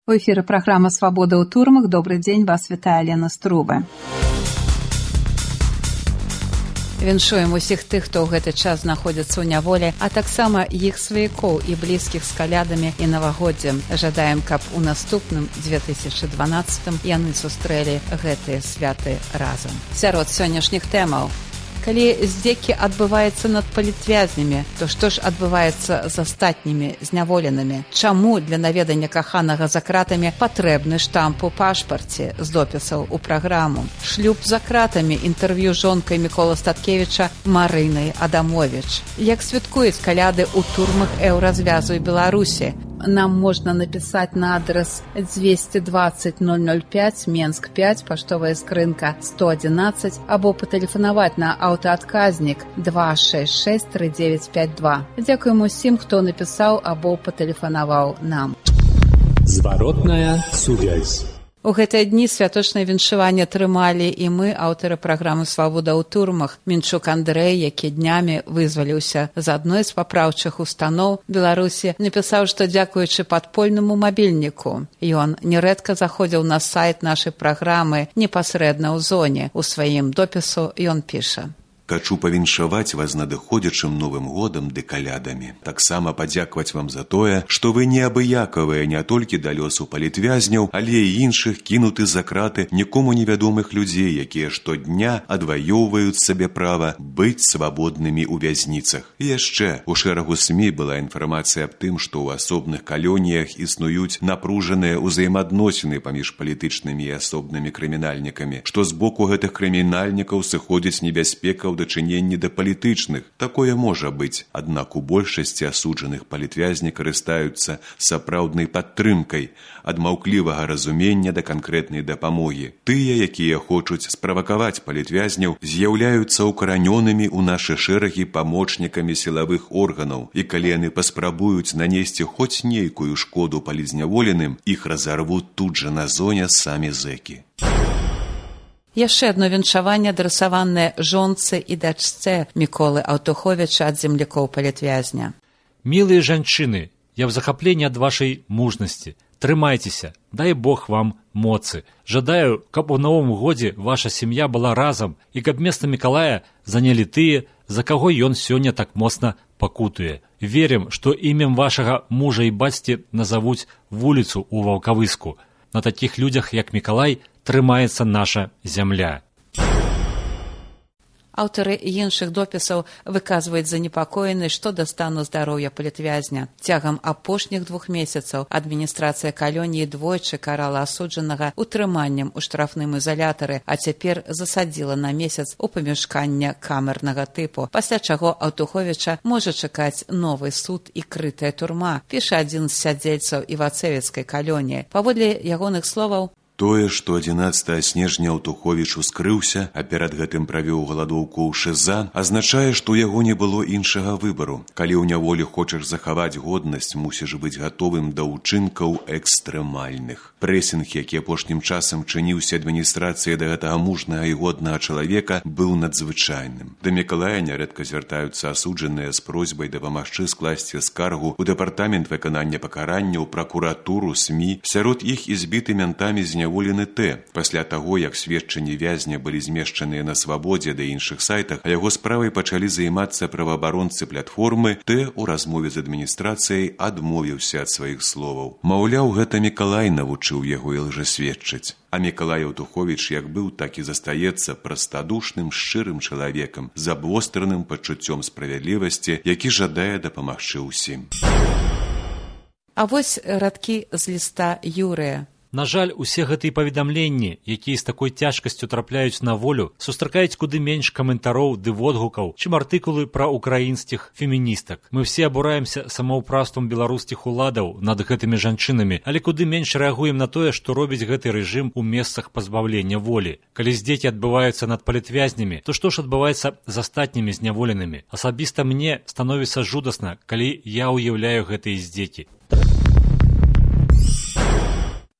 У эфіры праграма «Свабода ў турмах». Добры дзень, вас вітае Лена Струбе. Віншуем усіх тых, хто ў гэты час знаходзіцца ў няволі, а таксама іх сваякоў і блізкіх з калядамі і навагоддзем. Жадаем, каб у наступным 2012 яны сустрэлі гэтыя святы разам. Сярод сённяшніх тэмаў. Калі здзекі адбываецца над палітвязнямі, то што ж адбываецца з астатнімі зняволенымі? Чаму для наведання каханага за кратамі патрэбны штамп у пашпарце з допісаў у праграму? Шлюб за кратамі, інтэрв'ю з жонкай Мікола Статкевіча Марынай Адамовіч. Як святкуюць каляды ў турмах еўразвязу і Беларусі? Нам можна напісаць на адрес 220 005 Менск 5, паштовая скрынка 111, або патэлефанаваць на аўтаадказнік 266 3952. Дзякуем усім, хто напісаў або патэлефанаваў нам. Зваротная сувязь. У гэтыя дні святочнае віншаванне трымалі і мы, аўтары праграмы «Свабода ў турмах». Мінчук Андрэй, які днямі вызваліўся з адной з папраўчых устаноў Беларусі, напісаў, што дзякуючы падпольнаму мабільніку. Ён нярэдка заходзіў на сайт нашай праграмы непасрэдна ў зоне. У сваім допісу ён піша: «Хачу павіншаваць вас з надыходзячым Новым годам ды калядамі. Таксама падзякаваць вам за тое, што вы неабыякавыя не толькі да лёсу палітвязняў, але і іншых кінуты за краты нікому невядомых людзей, якія штодня адваёўваюць сабе права быць свабоднымі ў вязніцах. І яшчэ у шэрагу СМІ была інфармацыя аб тым, што ў асобных калоніях існуюць напружаныя ўзаемадносіны паміж палітычнымі і асобнымі крымінальнікамі, што з боку гэтых крымінальнікаў сыходзіць небяспека дачыненні да палітычных. Такое можа быць, аднак у большасці асуджаных палітвязні карыстаюцца сапраўднай падтрымкай, ад маўклівага разумення да канкрэтнай дапамогі. Тыя, якія хочуць справакаваць палітвязняў, з'яўляюцца укаранёнымі ў нашы шэрагі памочнікамі сілавых органаў, і калі яны паспрабуюць нанесці хоць нейкую шкоду палітзняволеным, іх разарвуць тут жа на зоне самі зэкі. Яшчэ адно віншаванне адрасаванае жонцы і дачцэ Міколы Аўтуховіча ад землякоў палітвязня. Мілыя жанчыны, я в захапленні ад вашай мужнасці. Трымайцеся, дай Бог вам моцы. Жадаю, каб у новым годзе ваша сям'я была разам і каб месца Мікалая занялі тыя, за каго ён сёння так моцна пакутуе. Верым, што імем вашага мужа і бацькі назавуць вуліцу ў Ваўкавыску. На такіх людзях, як Мікалай, трымаецца наша зямля. Аўтары іншых допісаў выказваюць занепакоенасць што да стану здароўя палітвязня. Цягам апошніх 2 месяцаў адміністрацыя калоніі двойчы карала асуджанага утрыманнем у штрафным ізалятары, а цяпер засадзіла на месяц у памяшкання камернага тыпу, пасля чаго Аўтуховіча можа чакаць новы суд і крытая турма, піша адзін з сядзельцаў івацэвіцкай калоніі. Паводле ягоных словаў, тое, што 11 снежня Аўтуховіч ускрыўся, а перад гэтым правёў галадоўку ў ШЗ, азначае, што ў яго не было іншага выбару. Калі ў няволі хочаш захаваць годнасць, мусіш быць гатовым да ўчынкаў экстрэмальных. Прэсінг, які апошнім часам чыніўся адміністрацыяй да гэтага мужнага і годнага чалавека, быў надзвычайным. Да Мікалая нярэдка звяртаюцца асуджаныя з просьбай дапамагчы скласці скаргу ў дэпартамент выканання пакаранняў, пракуратуру, СМІ. Сярод іх і збіты ментамі зняволены Т. Пасля таго, як сведчанні вязня былі змешчаныя на свабодзе да іншых сайтах, а яго справай пачалі займацца праваабаронцы платформы, Т. у размове з адміністрацыяй адмовіўся ад сваіх словаў. Маўляў, гэта Мікалай навучыў яго і лжасведчыць. А Мікалай Аўтуховіч як быў, так і застаецца прастадушным, шчырым чалавекам з абвостраным пачуццём справядлівасці, які жадае дапамагчы ўсім. А вось радкі з ліста Юрыя. На жаль, усе гэтыя паведамленні, якія з такой цяжкасцю трапляюць на волю, сустракаюць куды менш каментароў ды водгукаў, чым артыкулы пра украінскіх феміністак. Мы все абураемся самаўпраўствам беларускіх уладаў над гэтымі жанчынамі, але куды менш рэагуем на тое, што робіць гэты рэжым у месцах пазбаўлення волі. Калі здзекі адбываюцца над палітвязнямі, то што ж адбываецца з астатнімі зняволенымі? Асабіста мне становіцца жудасна, калі я ўяўляю гэтыя здзекі.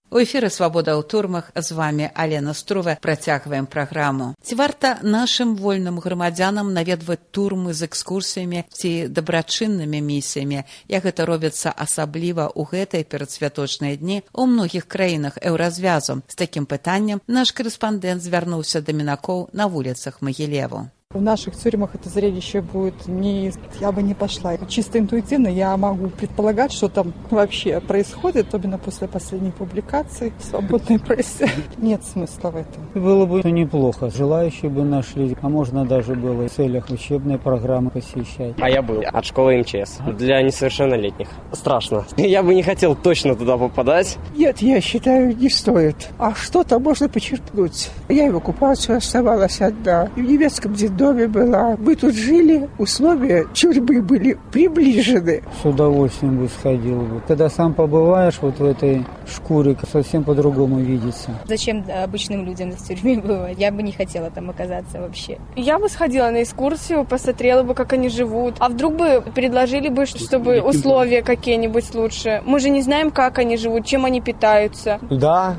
У эфіры «Свабода ў турмах», з вами Алена Струве. Працягваем праграму. Ці варта нашым вольным грамадзянам наведваць турмы з экскурсіямі ці дабрачыннымі місіямі, як гэта робіцца асабліва ў гэтай перадсвяточныя дні у многіх краінах еўразвязу? З такім пытаннем наш корэспандэнт звярнуўся да мінакоў на вуліцах Магілеву. В наших тюрьмах это зрелище будет не... Я бы не пошла. Чисто интуитивно я могу предполагать, что там вообще происходит, особенно после последней публикации в свободной прессе. Нет смысла в этом. Было бы неплохо. Желающие бы нашли. А можно даже было в целях учебной программы посещать. А я был от школы МЧС. Для несовершеннолетних. Страшно. Я бы не хотел точно туда попадать. Нет, я считаю, не стоит. А что-то можно почерпнуть. Я и в оккупацию оставалась одна. И в немецком детдоме была. Мы тут жили, условия тюрьмы были приближены. С удовольствием бы сходил бы. Когда сам побываешь вот в этой шкуре, совсем по-другому видится. Зачем обычным людям в тюрьме бывать? Я бы не хотела там оказаться вообще. Я бы сходила на экскурсию, посмотрела бы, как они живут. А вдруг бы предложили бы, чтобы условия какие-нибудь лучше. Мы же не знаем, как они живут, чем они питаются. Да,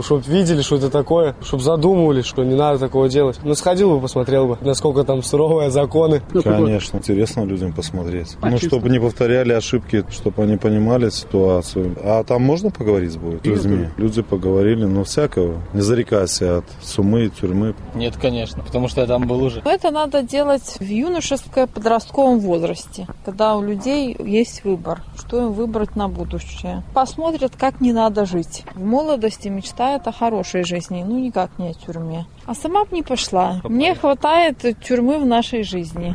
чтобы видели, что это такое, чтобы задумывались, что не надо такого делать. Сходил бы, посмотрел бы, насколько там суровые законы. Конечно, интересно людям посмотреть. Чтобы не повторяли ошибки, чтобы они понимали ситуацию. А там можно поговорить будет с людьми? Люди поговорили, но всякого. Не зарекайся от сумы и тюрьмы. Нет, конечно, потому что я там был уже. Это надо делать в юношеско-подростковом возрасте, когда у людей есть выбор, что им выбрать на будущее. Посмотрят, как не надо жить. В молодости мечтают о хорошей жизни, никак не о тюрьме. А сама бы не пошла. Мне хватает тюрьмы в нашей жизни.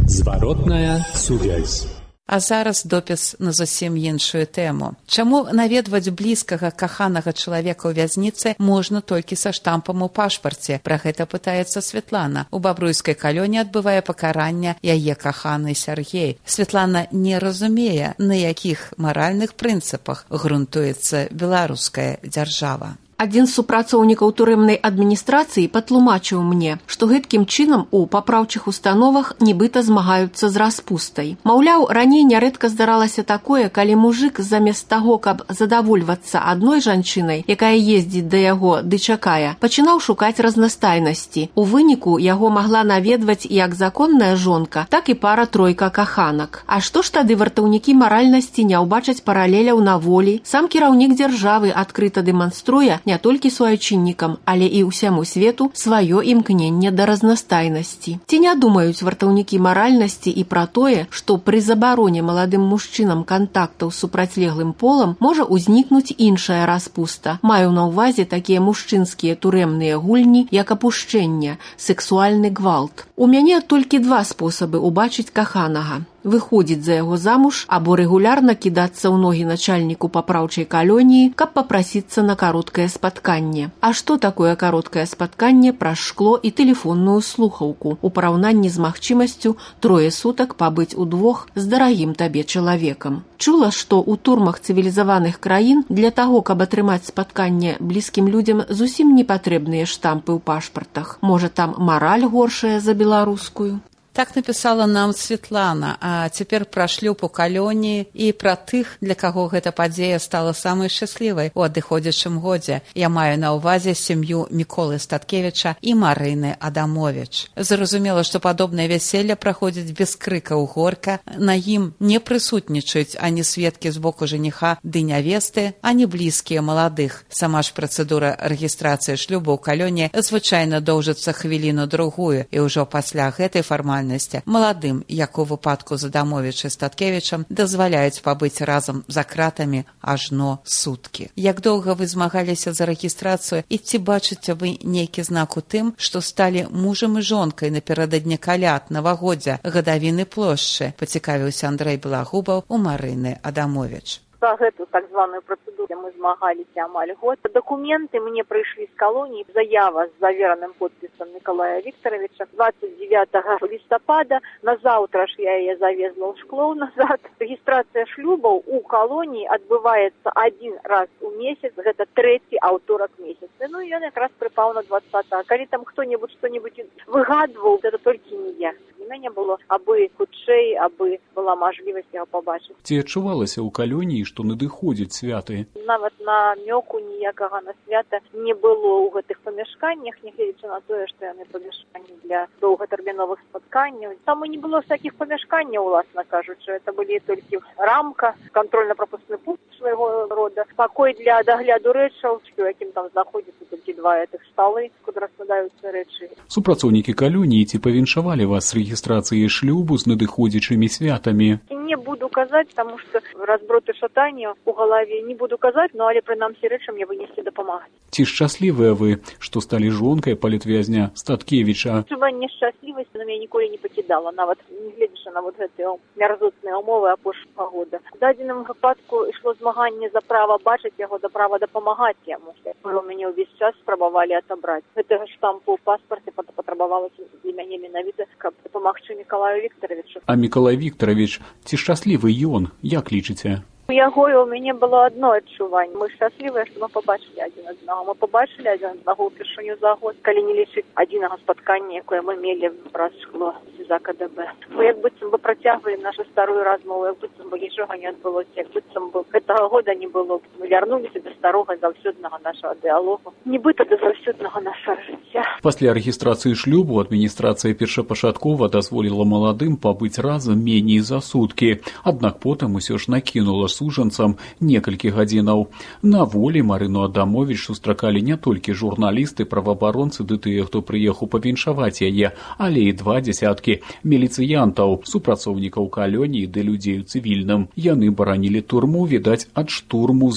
Зваротная сувязь. А зараз допіс на зусім іншую тэму. Чаму наведваць блізкага каханага чалавека ў вязніцы можна толькі са штампам у пашпарце? Пра гэта пытаецца Святлана. У бабруйскай калоні адбывае пакаранне яе каханы Сяргей. Святлана не разумее, на якіх маральных прынцыпах грунтуецца беларуская дзяржава. Адзін з супрацоўнікаў турэмнай адміністрацыі патлумачыў мне, што гэткім чынам у папраўчых установах нібыта змагаюцца з распустай. Маўляў, раней нярэдка здаралася такое, калі мужык замест таго, каб задавольвацца адной жанчынай, якая ездзіць да яго ды чакае, пачынаў шукаць разнастайнасці. У выніку яго магла наведваць як законная жонка, так і пара-тройка каханак. А што ж тады вартаўнікі маральнасці не ўбачаць паралеляў на волі? Сам кіраўнік дзяржавы адкрыта дэманструе не толькі суайчыннікам, але і ўсяму свету сваё імкненне да разнастайнасці. Ці не думаюць вартаўнікі маральнасці і пра тое, што пры забароне маладым мужчынам кантактаў з супрацьлеглым полам можа ўзнікнуць іншая распуста. Маю на ўвазе такія мужчынскія турэмныя гульні, як апушчэнне, сексуальны гвалт. У мяне толькі два спосабы ўбачыць каханага. Выходзіць за яго замуж або рэгулярна кідацца ў ногі начальніку папраўчай калоніі, каб папрасіцца на кароткае спатканне. А што такое кароткае спатканне праз шкло і тэлефонную слухаўку у параўнанні з магчымасцю 3 сутак пабыць удвох з дарагім табе чалавекам? Чула, што ў турмах цывілізаваных краін для таго, каб атрымаць спатканне блізкім людзям, зусім не патрэбныя штампы ў пашпартах. Можа, там мараль горшая за беларускую? Так написала нам Светлана, а цяпер пра шлюб у калоніі і пра тых, для каго гэта падзея стала самай шчаслівай у адыходзячым годзе. Я маю на ўвазе сям'ю Міколы Статкевіча і Марыны Адамовіч. Зразумела, што падобнае вяселле праходзіць без крыкаў горка, на ім не прысутнічаюць ані сведкі з боку жаніха ды нявесты, ані блізкія маладых. Сама ж працэдура рэгістрацыі шлюбу ў калоніі звычайна доўжыцца хвіліну-другую, і ўжо пасля гэтай фармальнасці маладым, як у выпадку з Адамовіча і Статкевічам, дазваляюць пабыць разам за кратамі ажно суткі. Як доўга вы змагаліся за рэгістрацыю і ці бачыце вы нейкі знак у тым, што сталі мужам і жонкай напярэдадні каляд, навагоддзя, гадавіны плошчы, пацікавіўся Андрэй Белагубаў у Марыны Адамовіч. За гэту так званую працэдуру мы змагаліся амаль год. Дакументы мне прыйшлі з калоніі, заява з завераным подпісам Мікалая Віктаравіча 29 лістапада. Назаўтра ж я яе завезла ў шклоў назад. Рэгістрацыя шлюбаў у калоніі адбываецца один раз у месяц, гэта 3-й аўторак месяца. Ну і ён якраз прыпаў на 20. Калі там хто-небудзь што-небудзь выгадваў, гэта толькі не я. У мяне паспартавання было, абы хутчэй, абы была мажлівасць яго пабачыць. Ці адчувалася ў калоніі, што надыходзяць святы? Нават намёку ніякага на свята не было ў гэтых памяшканнях, нягледзячы на тое, што яны памяшканні для доўгатэрміновых спатканняў. Там і не было всякіх памяшканняў, уласна кажучы. Это былі толькі рамка, кантрольна-прапускны пункт свайго рода, пакой для дагляду рэчаў, у якім там знаходзіцца толькі два гэтых сталы, куды раскладаюцца рэчы. Супрацоўнікі калоніі ці павіншавалі вас з рэгістрацыяй шлюбу з надыходзячымі святамі? Не буду казаць, таму што разброты шатання ў галаве не буду казаць, но але прынамсі рэчы мне вынеслі дапамагаць. Ці шчаслівыя вы, што сталі жонкай палітвязня Статкевіча? Адчуванне шчаслівасці на мяне ніколі не пакідала, нават не гледзячы на гэтыя мярзотныя ўмовы апошняга года. У дадзеным выпадку ішло змаганне за права бачыць яго, за права дапамагаць яму. У мяне ўвесь час спрабавалі атабраць. Гэтага штампу ў паспарце патрабавалася для мяне менавіта, каб дапамагчы Мікалаю Віктаравічу. А Мікалай Віктаравіч, ці шчаслівы ён, як лічыце? У яго і ў мяне было одно адчуванне. Мы шчаслівыя, што мы побачылі адзін аднаго. Мы побачылі адзін аднаго ўпершыню за год, калі не лічыць адзінага спаткання, якое мы мелі праз шкло за КДБ. Мы як быццам бы працягвалі нашу старую размову, як быццам бы нічога не адбылося, як быццам бы гэтага года не было. Мы вярнуліся да старога заўсёднага нашага дыалогу, нібыта да заўсёднага нашага жыцця. Пасля рэгістрацыі шлюбу адміністрацыя першапачаткова дазволіла маладым пабыць разам меней за суткі, аднак потым усё ж накінула сужанцам некалькі гадзінаў. На волі Марыну Адамовіч сустракалі не толькі журналісты, праваабаронцы ды тыя, хто прыехаў павіншаваць яе, але і 20 міліцыянтаў, супрацоўнікаў калоніі ды людзей у цывільным. Яны баранілі турму, відаць, ад штурму.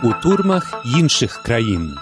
У турмах іншых краін.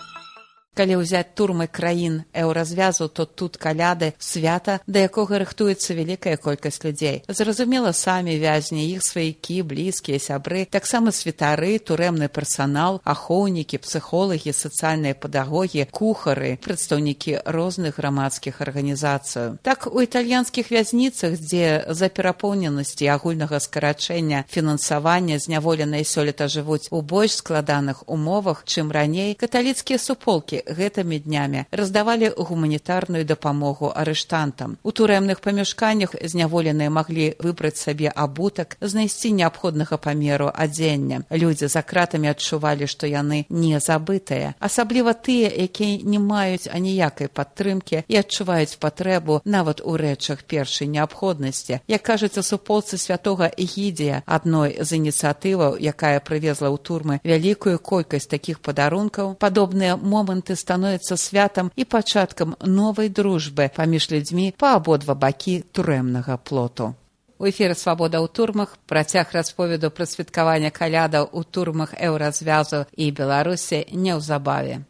Калі ўзяць турмы краін еўразвязу, то тут каляды, свята, да якога рыхтуецца вялікая колькасць людзей. Зразумела, самі вязні, іх сваякі, блізкія, сябры, таксама святары, турэмны персанал, ахоўнікі, псіхолагі, сацыяльныя педагогі, кухары, прадстаўнікі розных грамадскіх арганізацый. Так, у італьянскіх вязніцах, дзе за перапоўненасці агульнага скарачэння фінансавання зняволеныя сёлета жывуць у больш складаных умовах, чым раней, каталіцкія суполкі гэтымі днямі раздавалі гуманітарную дапамогу арыштантам. У турэмных памяшканнях зняволеныя маглі выбраць сабе абутак, знайсці неабходнага памеру адзення. Людзі за кратамі адчувалі, што яны не забытыя. Асабліва тыя, якія не маюць аніякай падтрымкі і адчуваюць патрэбу нават у рэчах першай неабходнасці. Як кажуць у суполцы святога Эгідзія, адной з ініцыятываў, якая прывезла ў турмы вялікую колькасць такіх падарункаў, падобныя моманты становіцца святам і пачаткам новай дружбы паміж людзьмі па абодва бакі турэмнага плоту. У эфіры «Свабода ў турмах» працяг расповеду пра святкавання калядаў у турмах еўразвязу і Беларусі неўзабаве.